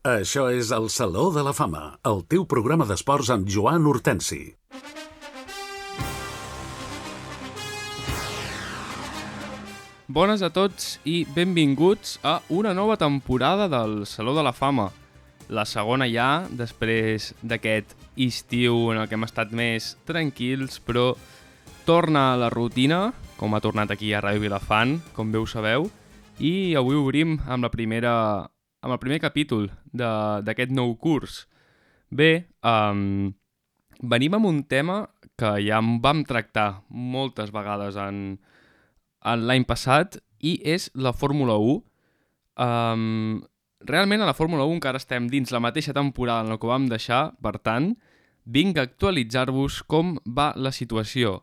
Això és el Saló de la Fama, el teu programa d'esports amb Joan Hortensi. Bones a tots i benvinguts a una nova temporada del Saló de la Fama. La segona ja, després d'aquest estiu en el que hem estat més tranquils, però torna a la rutina, com ha tornat aquí a Ràdio Vilafant, com bé ho sabeu, i avui obrim amb el primer capítol d'aquest nou curs. Bé, venim amb un tema que ja vam tractar moltes vegades en l'any passat i és la Fórmula 1. Realment a la Fórmula 1 encara estem dins la mateixa temporada en la que vam deixar, per tant, vinc a actualitzar-vos com va la situació.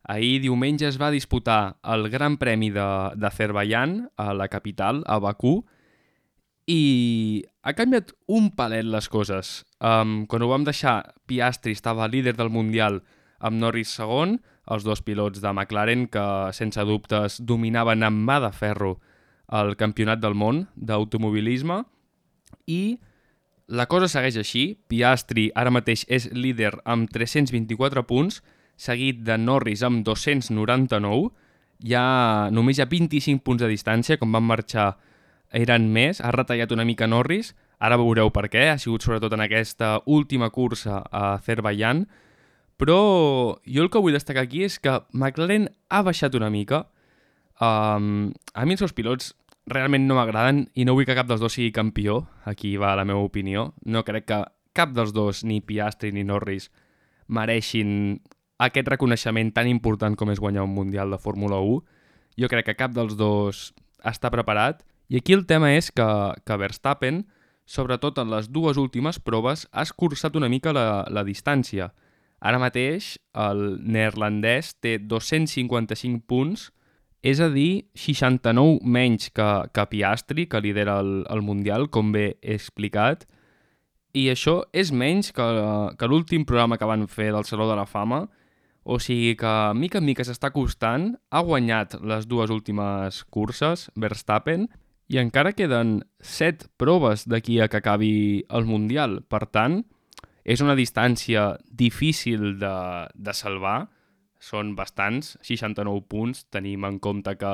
Ahir diumenge es va disputar el Gran Premi d'Azerbaidjan a la capital, a Bakú, i ha canviat un palet les coses. Quan ho vam deixar, Piastri estava líder del Mundial amb Norris segon, els dos pilots de McLaren que, sense dubtes, dominaven amb mà de ferro el campionat del món d'automobilisme, i la cosa segueix així. Piastri ara mateix és líder amb 324 punts, seguit de Norris amb 299. Només hi ha 25 punts de distància, com van marxar eren més, ha retallat una mica Norris, ara veureu per què, ha sigut sobretot en aquesta última cursa a Azerbaidjan, però jo el que vull destacar aquí és que McLaren ha baixat una mica. A mi els seus pilots realment no m'agraden i no vull que cap dels dos sigui campió, aquí va la meva opinió. No crec que cap dels dos, ni Piastri ni Norris, mereixin aquest reconeixement tan important com és guanyar un Mundial de Fórmula 1. Jo crec que cap dels dos està preparat. I aquí el tema és que Verstappen, sobretot en les dues últimes proves, ha escurçat una mica la distància. Ara mateix el neerlandès té 255 punts, és a dir, 69 menys que Piastri, que lidera el Mundial, com bé he explicat. I això és menys que l'últim programa que van fer del Saló de la Fama, o sigui que mica en mica s'està costant. Ha guanyat les dues últimes curses, Verstappen, i encara queden 7 proves d'aquí a que acabi el Mundial. Per tant, és una distància difícil de salvar. Són bastants, 69 punts. Tenim en compte que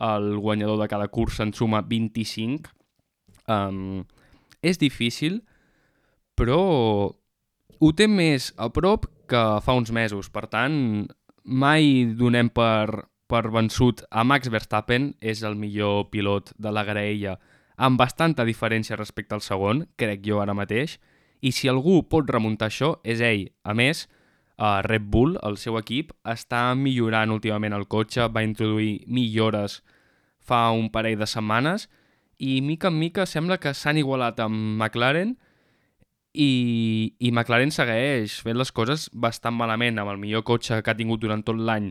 el guanyador de cada cursa en suma 25. És difícil, però ho té més a prop que fa uns mesos. Per tant, mai donem per vençut a Max Verstappen. És el millor pilot de la graella, amb bastanta diferència respecte al segon, crec jo ara mateix. I si algú pot remuntar això, és ell. A més, Red Bull, el seu equip, està millorant últimament el cotxe, va introduir millores fa un parell de setmanes i mica en mica sembla que s'han igualat amb McLaren i McLaren segueix fent les coses bastant malament amb el millor cotxe que ha tingut durant tot l'any.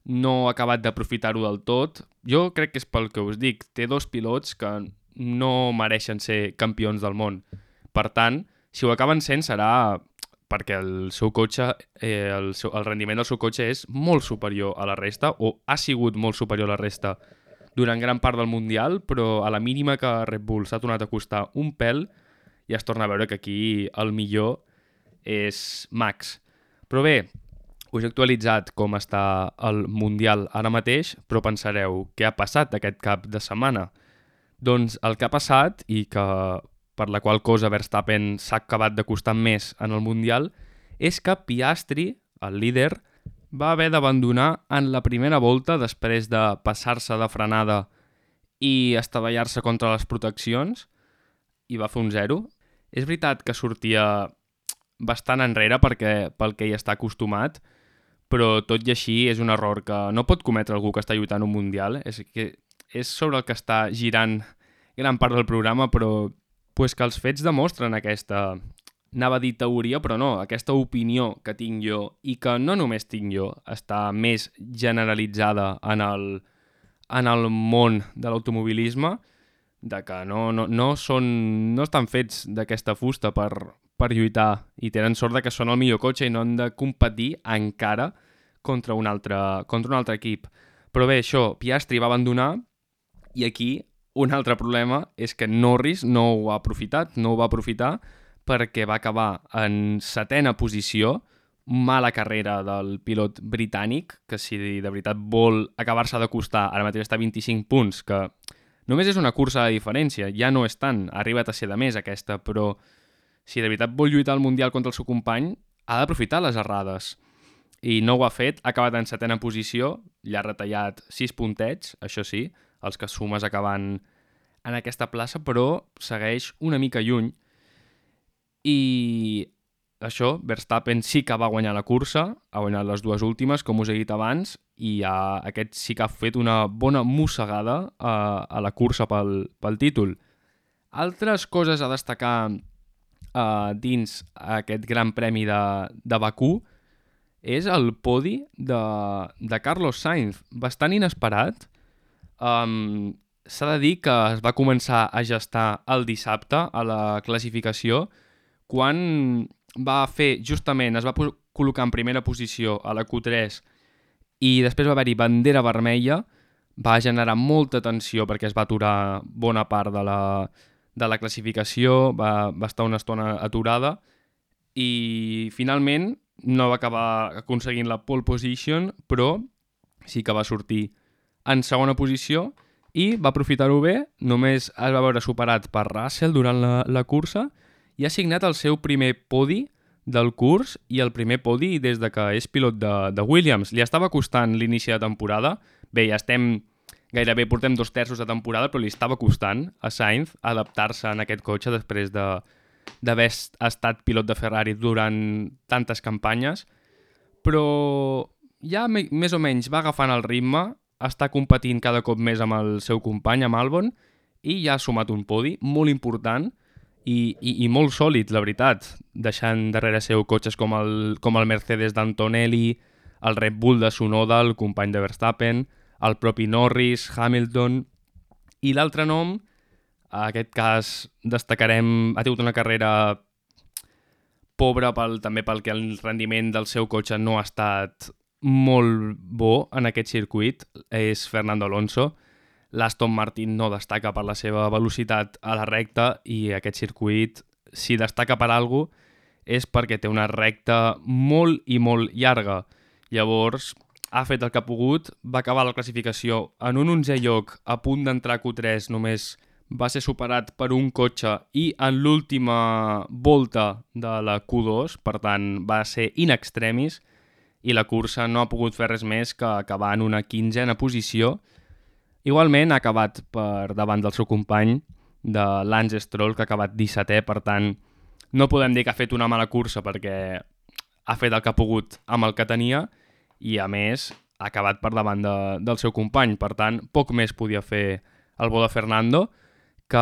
No ha acabat d'aprofitar-ho del tot. Jo crec que és pel que us dic. Té dos pilots que no mereixen ser campions del món. Per tant, si ho acaben sent serà perquè el seu cotxe, el rendiment del seu cotxe és molt superior a la resta, o ha sigut molt superior a la resta durant gran part del Mundial, però a la mínima que Red Bull s'ha tornat a costar un pèl, ja es torna a veure que aquí el millor és Max. Però bé, us he actualitzat com està el Mundial ara mateix, però pensareu, què ha passat aquest cap de setmana? Doncs el que ha passat, i que per la qual cosa Verstappen s'ha acabat de costar més en el Mundial, és que Piastri, el líder, va haver d'abandonar en la primera volta després de passar-se de frenada i estavellar-se contra les proteccions, i va fer un 0. És veritat que sortia bastant enrere pel que hi està acostumat, però tot i així és un error que no pot cometre algú que està lluitant un Mundial. És sobre el que està girant gran part del programa, però pues que els fets demostren aquesta, anava a dir teoria, però no, aquesta opinió que tinc jo, i que no només tinc jo, està més generalitzada en el món de l'automobilisme, de que no estan fets d'aquesta fusta per lluitar, i tenen sort de que són el millor cotxe i no han de competir encara contra un altre equip. Però bé, això, Piastri va abandonar, i aquí un altre problema és que Norris no ho va aprofitar perquè va acabar en 7ª posició, mala carrera del pilot britànic, que si de veritat vol acabar-se d'acostar, ara mateix està a 25 punts, que només és una cursa de diferència, ja no és tant, ha arribat a ser de més aquesta, però si de veritat vol lluitar al Mundial contra el seu company, ha d'aprofitar les errades. I no ho ha fet, ha acabat en 7ª posició, ja ha retallat 6 puntets, això sí, els que sumes acabant en aquesta plaça, però segueix una mica lluny. I això, Verstappen sí que va guanyar la cursa, ha guanyat les 2 últimes, com us he dit abans, i aquest sí que ha fet una bona mossegada a la cursa pel títol. Altres coses a destacar dins aquest Gran Premi de Bakú és el podi de Carlos Sainz, bastant inesperat. S'ha de dir que es va començar a gestar el dissabte a la classificació quan es va col·locar en primera posició a la Q3 i després va haver-hi bandera vermella, va generar molta tensió perquè es va aturar bona part de la classificació, va estar una estona aturada i finalment no va acabar aconseguint la pole position, però sí que va sortir en segona posició i va aprofitar-ho bé, només es va veure superat per Russell durant la cursa i ha signat el seu primer podi del curs i el primer podi des de que és pilot de Williams. Li estava costant l'inici de temporada, bé, ja gairebé portem 2/3 de temporada, però li estava costant a Sainz adaptar-se en aquest cotxe després d'haver estat pilot de Ferrari durant tantes campanyes, però ja més o menys va agafant el ritme, està competint cada cop més amb el seu company, amb Albon, i ja ha sumat un podi molt important i molt sòlid, la veritat, deixant darrere seu cotxes com el Mercedes d'Antonelli, el Red Bull de Tsunoda, el company de Verstappen, el propi Norris, Hamilton, i l'altre nom, en aquest cas destacarem, ha tingut una carrera pobra també pel que el rendiment del seu cotxe no ha estat molt bo en aquest circuit, és Fernando Alonso. L'Aston Martin no destaca per la seva velocitat a la recta i aquest circuit, si destaca per alguna cosa, és perquè té una recta molt i molt llarga. Llavors, ha fet el que ha pogut, va acabar la classificació en un 11è lloc, a punt d'entrar a Q3, només va ser superat per un cotxe i en l'última volta de la Q2, per tant, va ser in extremis, i la cursa no ha pogut fer res més que acabar en una 15ª posició. Igualment ha acabat per davant del seu company, de Lance Stroll, que ha acabat 17è, per tant, no podem dir que ha fet una mala cursa perquè ha fet el que ha pogut amb el que tenia i, a més, ha acabat per davant del seu company. Per tant, poc més podia fer el bo de Fernando, que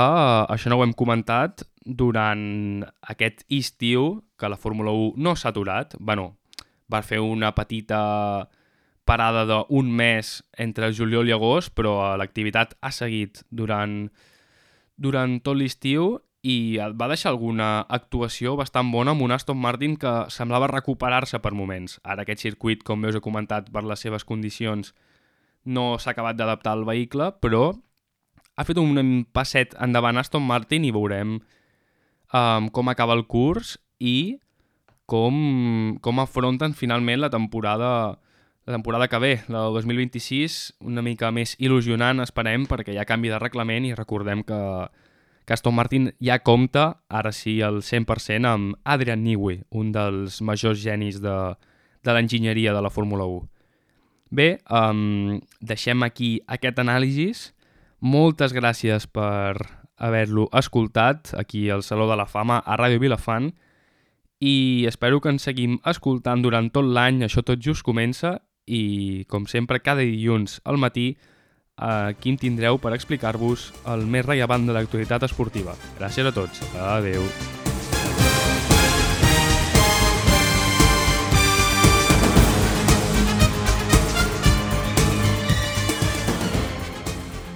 això no ho hem comentat, durant aquest estiu, que la Fórmula 1 no s'ha aturat, va fer una petita parada d'un mes entre juliol i agost, però l'activitat ha seguit durant tot l'estiu i va deixar alguna actuació bastant bona amb un Aston Martin que semblava recuperar-se per moments. Ara aquest circuit, com bé us he comentat, per les seves condicions no s'ha acabat d'adaptar al vehicle, però ha fet un passet endavant Aston Martin i veurem com acaba el curs i com afronten finalment la temporada que ve, la del 2026, una mica més il·lusionant, esperem, perquè hi ha canvi de reglament i recordem que Aston Martin ja compta, ara sí, al 100% amb Adrian Newey, un dels majors genis de l'enginyeria de la Fórmula 1. Bé, deixem aquí aquest anàlisi. Moltes gràcies per haver-lo escoltat aquí al Saló de la Fama a Ràdio Vilafant i espero que ens seguim escoltant durant tot l'any, això tot just comença i, com sempre, cada dilluns al matí aquí em tindreu per explicar-vos el més rellevant de l'actualitat esportiva. Gràcies a tots. Adeu.